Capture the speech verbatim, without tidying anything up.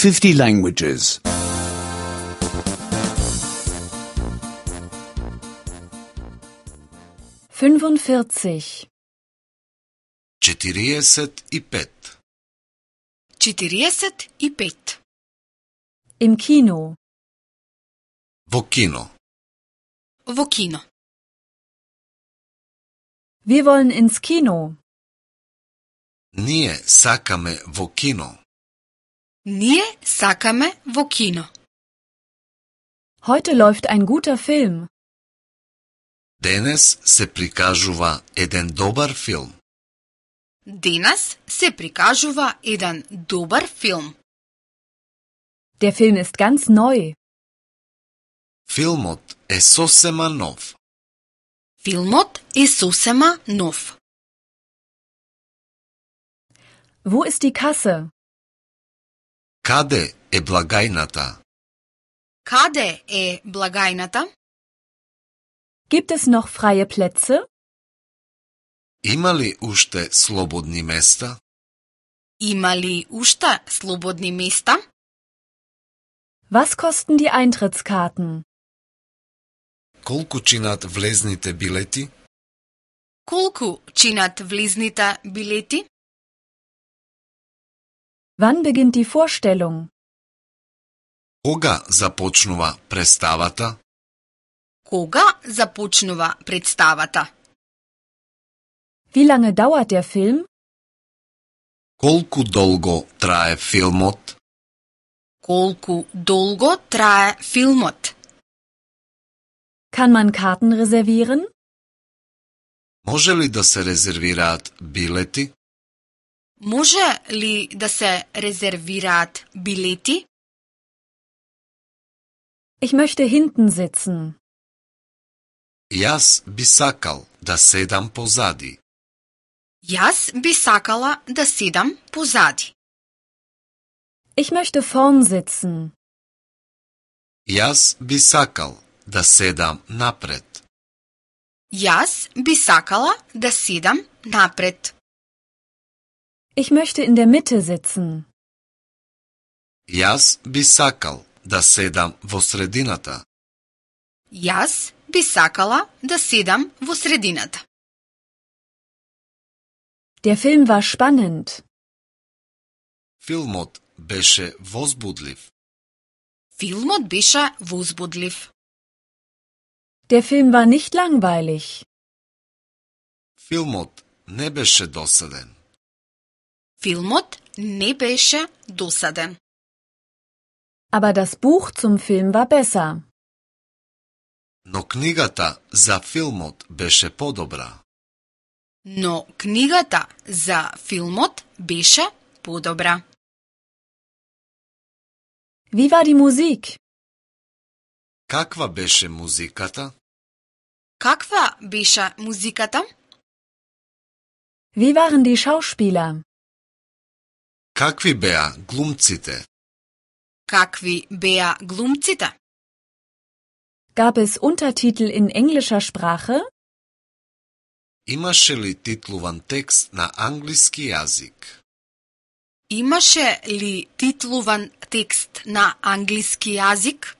fifty languages. fünfundvierzig. четириесет и пет. четириесет и пет. Im Kino. Во кино. Во кино. Wir wollen ins Kino. Ние сакаме во кино. Ние сакаме во кино. Heute läuft ein guter Film. Денес се прикажува еден добар филм. Денес се прикажува еден добар филм. Der Film ist ganz neu. Филмот е сосема нов. Филмот е сосема нов. Wo ist die Kasse? Каде е благајната? Каде е благајната? Gibt es noch freie Plätze? Има ли уште слободни места? Има ли уште слободни места? Was kosten die Eintrittskarten? Колку чинат влезните билети? Колку чинат влезните билети? Wann beginnt die Vorstellung? Кога започнува представата? Кога започнува представата? Wie lange dauert der Film? Колку долго трае филмот? Колку долго трае филмот? Kann man Karten reservieren? Може ли да се резервираат билети? Може ли да се резервираат билети? Ich möchte hinten sitzen. Јас би сакал да седам позади. Јас би сакала да седам позади. Ich möchte vorn sitzen. Јас би сакал да седам напред. Јас би сакала да седам напред. Ich möchte in der Mitte sitzen. Јас би сакал да седам во средината. Јас би сакала да седам во средината. Der Film war spannend. Филмот беше возбудлив. Филмот беше возбудлив. Der Film war nicht langweilig. Филмот не беше досаден. Филмот не беше досаден. Aber das Buch zum Film war besser. Но книгата за филмот беше подобра. Но книгата за филмот беше подобра. Wie war die Musik? Каква беше музиката? Каква беше музиката? Wie waren die Schauspieler? Какви беа глумците? Какви беа глумците? Gab es Untertitel in englischer Sprache? Имаше ли титлуван текст на англиски јазик? Имаше ли титлуван текст на англиски јазик?